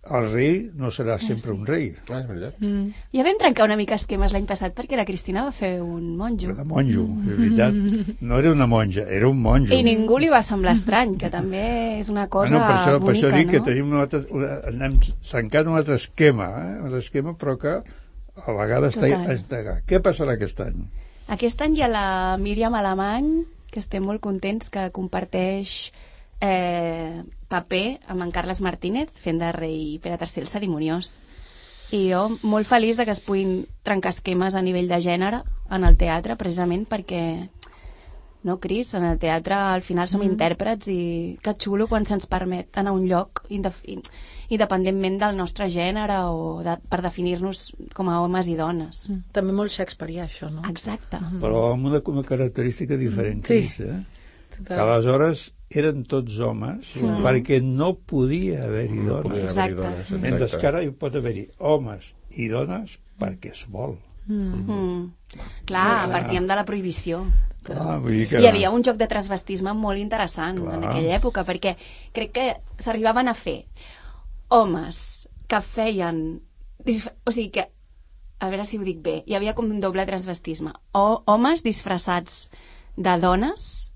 El rei no serà sempre ah, sí. un rei. Ah, és veritat. Mm. Ja vam trencar una mica esquemes l'any passat perquè la Cristina va fer un monjo. Era monjo, mm. és veritat. No era una monja, era un monjo. I ningú li va semblar estrany, que també és una cosa ah, no, per això, bonica, per això dic no? que tenim un altre, una, anem trencant un altre esquema, eh? un altre esquema, però que a vegades està, està... Què passarà aquest any? Aquest any hi ha la Míriam Alemany, que estem molt contents, que comparteix eh, paper amb en Carles Martínez fent de rei Pere tercer el cerimoniós, i jo molt feliç de que es puguin trencar esquemes a nivell de gènere en el teatre, precisament perquè no, Cris, en el teatre al final som mm. intèrprets i que xulo quan se'ns permet anar a un lloc independentment del nostre gènere o de, per definir-nos com a homes i dones. Mm. També molt shakespearià això, no? Exacte. Mm. Però amb una, una característica diferent, sí. Cris, eh? Que aleshores eren tots homes mm. perquè no podia haver-hi No dones. podia haver-hi dones, exacte. Mentre que ara hi pot haver-hi homes i dones perquè es vol. Mm. Mm. Clar, partíem de la prohibició. Clar, vull dir que... Hi havia un joc de transvestisme molt interessant Clar. en aquella època, perquè crec que s'arribaven a fer homes que feien... O sigui que, a veure si ho dic bé, hi havia com un doble transvestisme. O homes disfressats de dones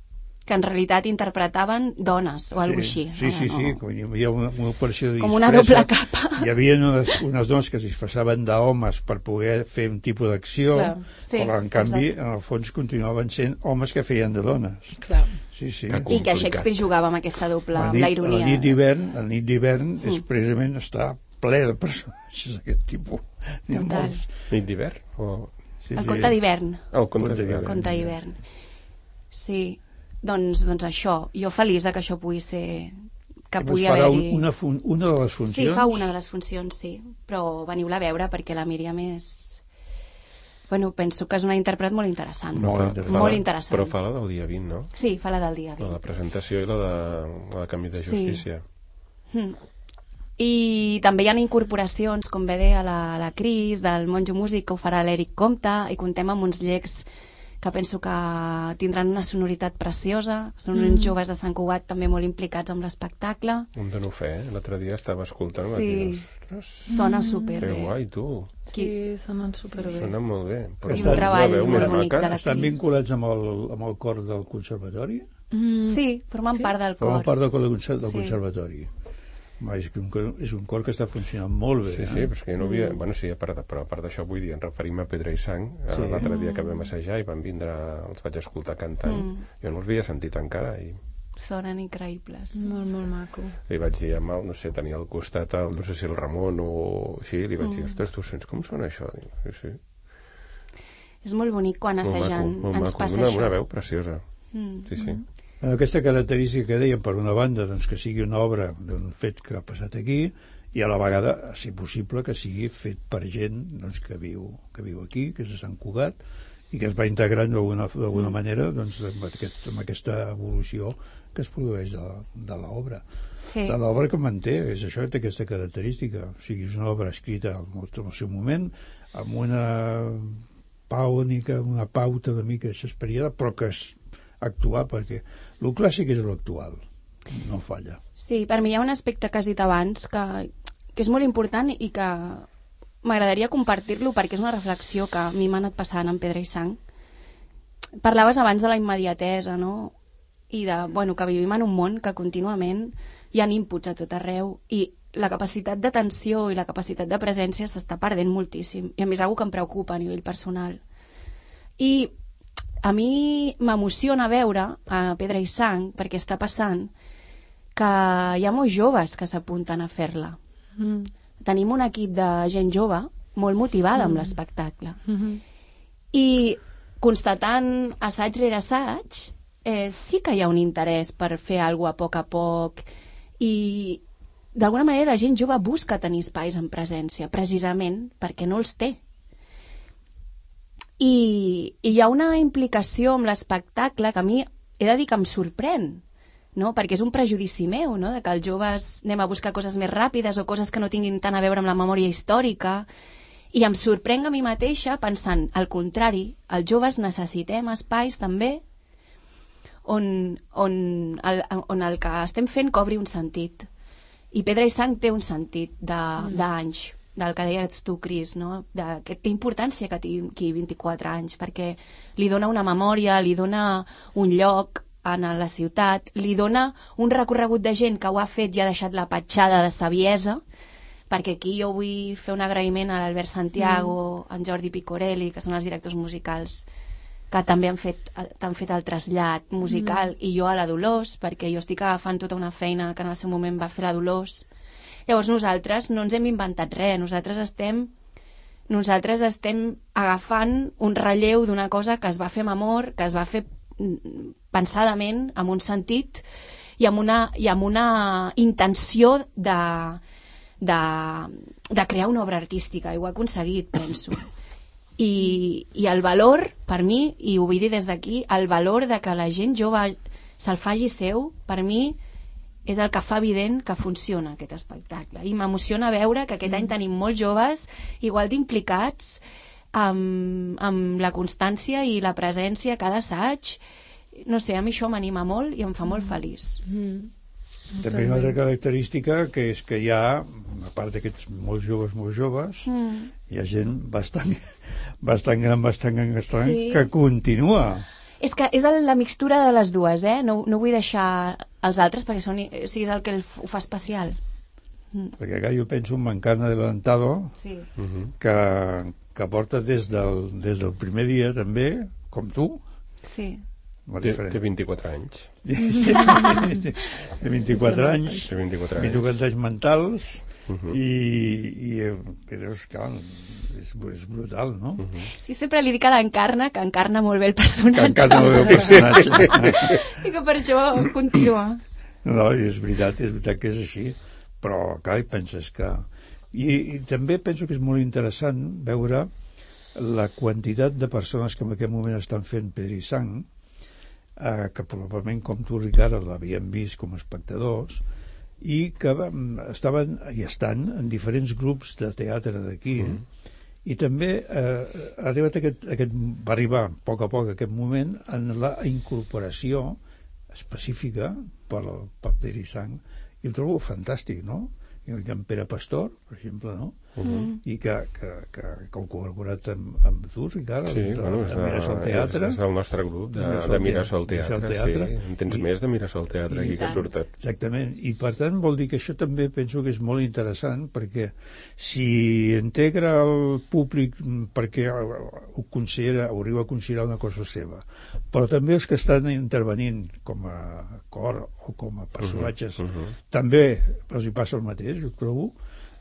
que en realitat interpretaven dones o alguna sí, així. Sí, sí, sí, com hi havia una, una operació de com una disfressa. doble capa. Hi havia unes, unes dones que es disfressaven d'homes per poder fer un tipus d'acció, sí, però en canvi, exacte. en el fons, continuaven sent homes que feien de dones. Clar. Sí, sí. Que I que Shakespeare jugava amb aquesta doble, La amb nit, la ironia. la nit d'hivern, la nit d'hivern Mm. és precisament està ple de personatges d'aquest tipus. N'hi ha Total. molts. Nit d'hivern? O... Sí, El sí. conte d'hivern. Ah, el conte Conte d'hivern. Conte d'hivern. Sí, doncs, doncs això. Jo feliç de que això pugui ser... que Llavors pugui farà haver-hi... una, fun una de les funcions? Sí, fa una de les funcions, sí. Però veniu-la a veure perquè la Míriam és... Bueno, penso que és una intèrpret molt interessant. Molt fa- interessant. fa Molt la- interessant. Però fa la del dia vint, no? Sí, fa la del dia La vint. de presentació i la de, la de canvi de Sí. justícia. Mm. I també hi ha incorporacions, com bé deia la, la Cris, del Monjo Músic, que ho farà l'Eric Comte, i contem amb uns llecs que penso que tindran una sonoritat preciosa. Són uns joves de Sant Cugat també molt implicats amb l'espectacle. Un dono fe, eh? L'altre dia estava escoltant i vaig Sí. dir, ostres, Sona que superbé. guai, tu. Sí, sonen superbé. Sona molt bé. Però I un una treball veu molt més bonic maca. de la Estan Cris. vinculats amb el, amb el cor del conservatori? Mm. Sí, formen Sí? part del Formen cor. part del cor del, conser del Sí. conservatori. Va, és, que un, cor- és un cor que està funcionant molt bé. Sí, sí, però és que jo no havia... Bueno, sí, a part, de- però a part d'això vull dir, ens referim a Pedra i Sang. Sí. Sí. L'altre dia que vam assajar i van vindre, els vaig escoltar cantant. Mm. Jo no els havia sentit encara i Sonen increïbles. Molt, molt maco. li vaig dir amb el, no sé, tenia al costat el, no sé si el Ramon o així, li vaig Mm. dir, ostres, tu sents com sona això? Dic, sí, sí. És molt bonic quan Molt assajant maco, molt ens maco. passa Una, això. una veu preciosa. Mm. Sí, sí. Bueno, aquesta característica que dèiem, per una banda, doncs, que sigui una obra d'un fet que ha passat aquí, i a la vegada, si possible, que sigui fet per gent doncs, que, viu, que viu aquí, que és de Sant Cugat, i que es va integrant d'alguna d'alguna manera doncs, amb, aquest, amb aquesta evolució que es produeix de, de l'obra. Sí. De l'obra que manté, és això, té aquesta característica. O sigui, és una obra escrita en el, en el seu moment, amb una pàunica, una pauta una mica shakespeariana, però que és actuar, perquè el clàssic és l'actual, no falla. Sí, per mi hi ha un aspecte que has dit abans que, que és molt important i que m'agradaria compartir-lo perquè és una reflexió que a mi m'ha anat passant en Pedra i Sang. Parlaves abans de la immediatesa, no? I de, bueno, que vivim en un món que contínuament hi ha inputs a tot arreu i la capacitat d'atenció i la capacitat de presència s'està perdent moltíssim. I a mi és una cosa que em preocupa a nivell personal. I a mi m'emociona veure a Pedra i Sang, perquè està passant, que hi ha molts joves que s'apunten a fer-la. Mm. Tenim un equip de gent jove molt motivada amb l'espectacle. Mm -hmm. I constatant assaig rere assaig, eh, sí que hi ha un interès per fer alguna cosa a poc a poc i d'alguna manera la gent jove busca tenir espais en presència, precisament perquè no els té. I, i hi ha una implicació amb l'espectacle que a mi he de dir que em sorprèn, no? Perquè és un prejudici meu, no? De que els joves anem a buscar coses més ràpides o coses que no tinguin tant a veure amb la memòria històrica, i em sorprenc a mi mateixa pensant, al contrari, els joves necessitem espais també on, on, el, on el que estem fent cobri un sentit. I Pedra i Sang té un sentit d'anys, mm. del que deies tu, Cris, no? De, que té importància que tingui vint-i-quatre anys, perquè li dona una memòria, li dona un lloc en la ciutat, li dona un recorregut de gent que ho ha fet i ha deixat la petjada de saviesa, perquè aquí jo vull fer un agraïment a l'Albert Santiago, mm. en Jordi Picorelli, que són els directors musicals que també han fet, han fet el trasllat musical, mm. i jo a la Dolors, perquè jo estic agafant tota una feina que en el seu moment va fer la Dolors. Llavors nosaltres no ens hem inventat res, nosaltres estem nosaltres estem agafant un relleu d'una cosa que es va fer amb amor, que es va fer pensadament, amb un sentit i amb una, i amb una intenció de, de, de crear una obra artística, i ho ha aconseguit, penso. I, i el valor, per mi, i ho vull dir des d'aquí, el valor de que la gent jove se'l faci seu, per mi és el que fa evident que funciona aquest espectacle. I m'emociona veure que aquest mm. any tenim molts joves igual d'implicats amb, amb la constància i la presència a cada assaig. No sé, a mi això m'anima molt i em fa molt feliç. Mm. També una altra característica que és que hi ha, a part d'aquests molts joves, molts joves, mm. hi ha gent bastant, bastant gran, bastant gran, bastant sí. que continua. És que és la mixtura de les dues, eh? No, no vull deixar els altres perquè són, o sigui, és el que el, ho fa especial. Mm. Perquè acá jo penso en Mancarna Adelantado, sí. que, que porta des del, des del primer dia també, com tu. Sí. Té, té vint-i-quatre anys. Sí, té vint-i-quatre anys. Té vint-i-quatre anys. vint-i-quatre anys mentals. Uh-huh. i, i que deus, clar, és, és brutal, no? Uh-huh. Sí, sempre li dic a l'Encarna que encarna molt bé el personatge. Que encarna molt bé el personatge. I que per això continua. No, és veritat, és veritat que és així, però clar, penses que... I, i també penso que és molt interessant veure la quantitat de persones que en aquest moment estan fent Pedra i Sang, eh, que probablement, com tu, Ricard, l'havien vist com a espectadors, i que estaven i estan en diferents grups de teatre d'aquí, mm. i també eh, ha arribat aquest, aquest, va arribar a poc a poc aquest moment en la incorporació específica per al paper i sang, i ho trobo fantàstic, no? I en Pere Pastor, per exemple, no? Uh-huh. I que, que, que, que heu col·laborat amb, amb tu, Ricard, sí, de, bueno, de Mirasol Teatre. És del nostre grup, de, de Mirasol Teatre, teatre. Sí. En tens I, més de Mirasol Teatre aquí que surten. Exactament, i per tant vol dir que això també penso que és molt interessant, perquè si integra el públic perquè ho considera, ho arriba a considerar una cosa seva, però també els que estan intervenint com a cor o com a personatges, uh-huh, uh-huh. també els hi passa el mateix, jo trobo,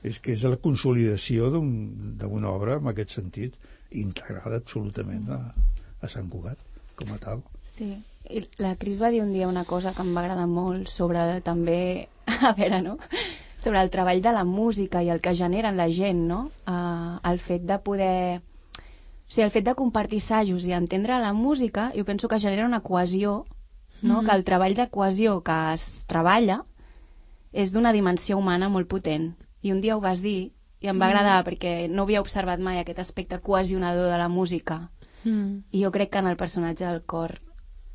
és que és la consolidació d'una obra en aquest sentit integrada absolutament a, a Sant Cugat com a tal. Sí, i la Cris va dir un dia una cosa que em va agradar molt sobre també, a veure, no? Sobre el treball de la música i el que genera en la gent, no? Uh, el fet de poder... O sigui, el fet de compartir assajos i entendre la música, jo penso que genera una cohesió, no? Mm-hmm. Que el treball de cohesió que es treballa és d'una dimensió humana molt potent. I un dia ho vas dir i em va agradar mm. perquè no havia observat mai aquest aspecte cohesionador de la música. Mm. I jo crec que en el personatge del cor,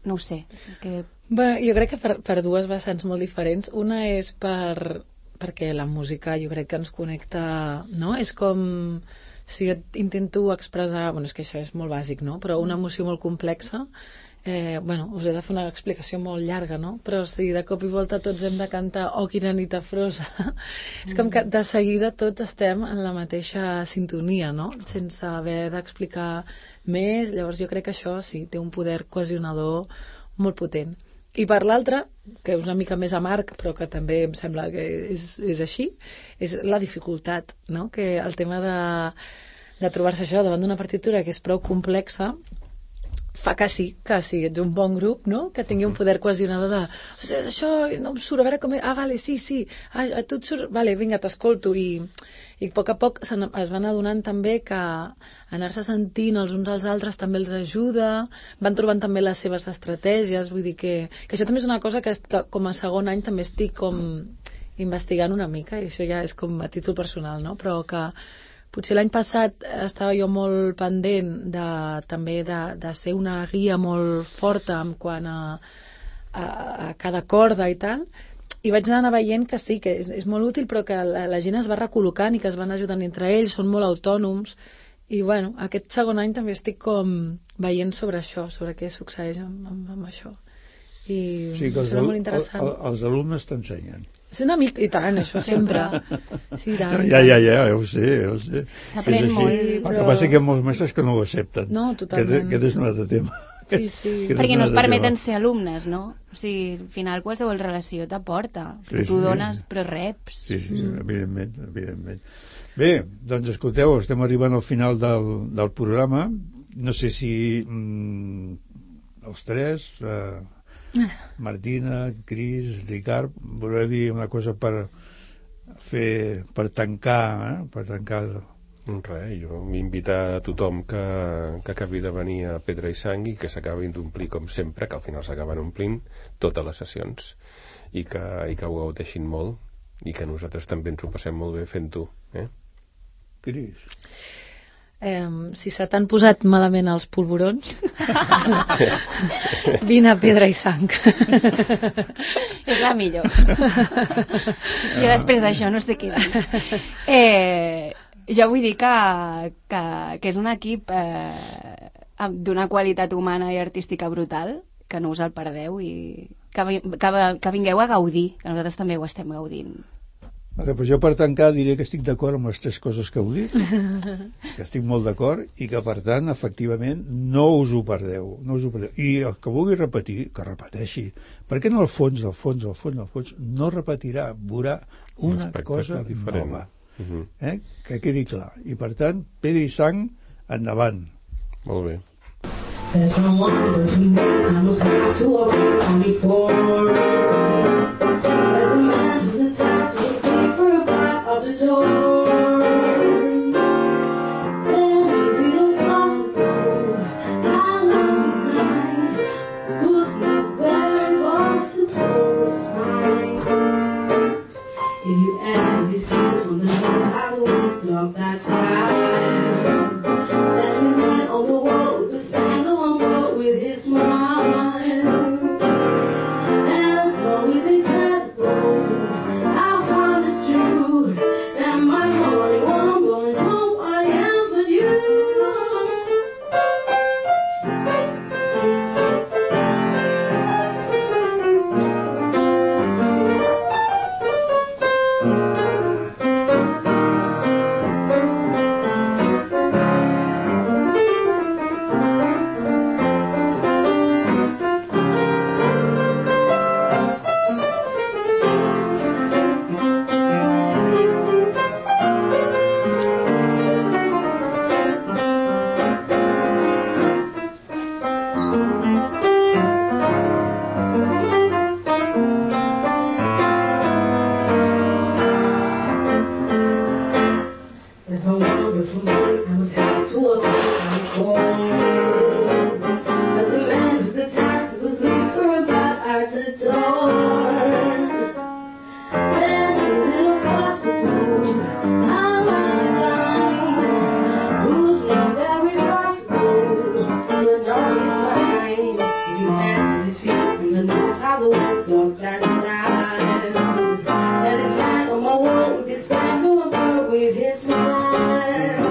no ho sé. Que... Bueno, jo crec que per, per dues vessants molt diferents. Una és per, perquè la música jo crec que ens connecta, no? És com... Si jo intento expressar... Bueno, és que això és molt bàsic, no? Però una emoció molt complexa... Eh, bueno, us he de fer una explicació molt llarga, no? Però si de cop i volta tots hem de cantar Oh, quina nit afrosa, és com que de seguida tots estem en la mateixa sintonia, no? Sense haver d'explicar més. Llavors jo crec que això sí, té un poder cohesionador molt potent. I per l'altra, que és una mica més amarg, però que també em sembla que és, és així, és la dificultat, no? Que el tema de, de trobar-se això davant d'una partitura que és prou complexa fa que sí, que sí, ets un bon grup, no? Que tingui un poder cohesionador de o sigui, això no em surt, a veure com... Ah, vale, sí, sí, ah, a tu et surt... Vale, vinga, t'escolto. I, i a poc a poc es van adonant també que anar-se sentint els uns als altres també els ajuda, van trobant també les seves estratègies, vull dir que, que això també és una cosa que, que com a segon any també estic com investigant una mica, i això ja és com a títol personal, no? Però que potser l'any passat estava jo molt pendent de, també de, de ser una guia molt forta en quant a, a, a cada corda i tal, i vaig anar veient que sí, que és, és molt útil, però que la, la gent es va recol·locant i que es van ajudant entre ells, són molt autònoms, i bueno, aquest segon any també estic com veient sobre això, sobre què succeeix amb, amb, amb això. I sí, que els, serà molt interessant. El, el, els alumnes t'ensenyen. És una mica, i tant, això sempre. Sí, tant. Ja, ja, ja, ja ho sé, ja ho sé. S'aprèn molt. El però... que passa que hi ha molts mestres que no ho accepten. No, totalment. Aquest és un altre tema. Sí, sí. Perquè no es permeten ser alumnes, no? O sigui, al final qualsevol relació t'aporta. Sí, tu sí. dones, però reps. Sí, sí, mm. evidentment, evidentment. Bé, doncs escolteu, estem arribant al final del, del programa. No sé si mm, els tres... Eh, Martina, Cris, Ricard, voleu dir una cosa per fer, per tancar, eh? per tancar Res, jo m'invita a tothom que, que acabi de venir a Pedra i Sang i que s'acabin d'omplir com sempre, que al final s'acaben omplint totes les sessions i que, i que ho gaudeixin molt i que nosaltres també ens ho passem molt bé fent-ho, eh? Cris? Eh, si se t'han posat malament els polvorons, vine a Pedra i Sang. És la millor. Jo després d'això no sé què dir. Eh... Jo vull dir que, que, que és un equip eh, d'una qualitat humana i artística brutal, que no us el perdeu i que, que, que vingueu a gaudir, que nosaltres també ho estem gaudint. Vale, però jo per tancar diré que estic d'acord amb les tres coses que heu dit, que estic molt d'acord i que per tant, efectivament, no us ho perdeu, no us ho perdeu. I el que vulgui repetir, que repeteixi, perquè en el fons, al fons, al fons, al fons, no repetirà, veurà una cosa diferent. Nova. Uh-huh. Eh? Que quedi clar. I per tant, Pedra i Sang, endavant. Molt bé. There's no wonder I was happy to walk on before. As the man who's attached to the sleeper back of the door. Anything impossible, I love the kind who's not where it was to pull his mind. If you ask these people from the north, I will look that side. That's the man on the wall with the spangle on board with his smile. And though he's incredible, I find it's true that my morning one was nobody else but you. There's no wonderful night I was happy to walk on the floor. As the man who's attacked was sleeper about at the door. Then a little possible, I like the guy who's not very possible. And the dog is fine if you hand to his feet from the nose how the wind blows that side. And his man on my wall with his spangle on board with his mind.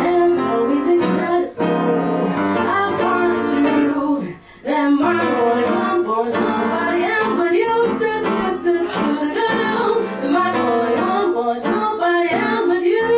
And though he's incredible, I find it's true that my boy, my boy's nobody else but you. Do-do-do-do-do-do. My boy, my boy's nobody else but you.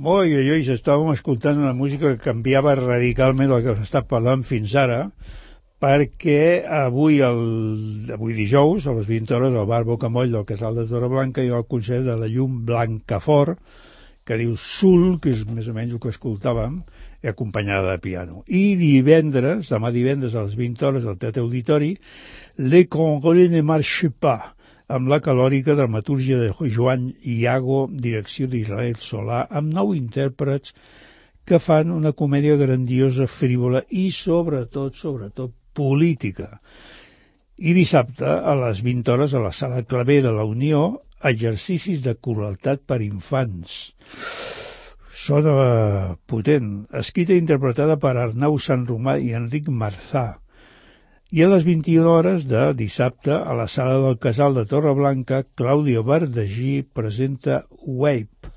Molt bé, Lluís, estàvem escoltant una música que canviava radicalment el que hem estat parlant fins ara, perquè avui, el, avui dijous, a les vint hores, al bar Bocamoll del Casal de Torreblanca hi ha el concert de la llum Blancafort, que diu Sul, que és més o menys el que escoltàvem, acompanyada de piano. I divendres, demà divendres a les vint hores al Teatre Auditori, Le Congrès ne marche pas, amb la calòrica dramatúrgia de Joan Iago, direcció d'Israel Solà, amb nou intèrprets que fan una comèdia grandiosa, frívola i, sobretot, sobretot, política. I dissabte, a les vint hores, a la Sala Clavé de la Unió, exercicis de crueltat per infants. Sona potent, escrita i interpretada per Arnau Sanromà i Enric Marzà. I a les vint-i-una hores de dissabte, a la Sala del Casal de Torreblanca, Clàudia Verdagí presenta Wape.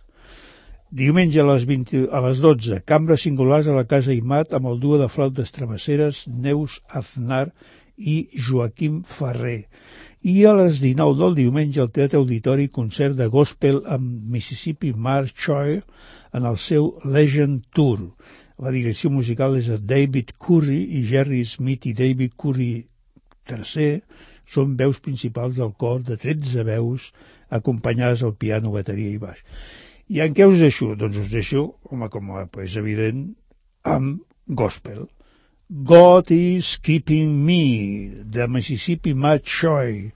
Diumenge a les, vint, a les dotze, Cambres Singulars a la Casa Imat amb el duo de flautes travesseres Neus Aznar i Joaquim Ferrer. I a les dinou del diumenge al Teatre Auditori, concert de gospel amb Mississippi March Choir en el seu Legend Tour. La direcció musical és de David Curry i Jerry Smith i David Curry tercer són veus principals del cor de tretze veus acompanyades al piano, bateria i baix. I en què us deixo? Doncs us deixo, home, com és evident, amb gospel. God is Keeping Me, de Mississippi Matt Choi.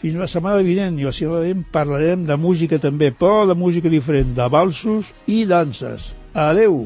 Fins la setmana vinent, i la setmana vinent parlarem de música també, però de música diferent, de valsos i danses. Adeu!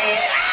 Yeah!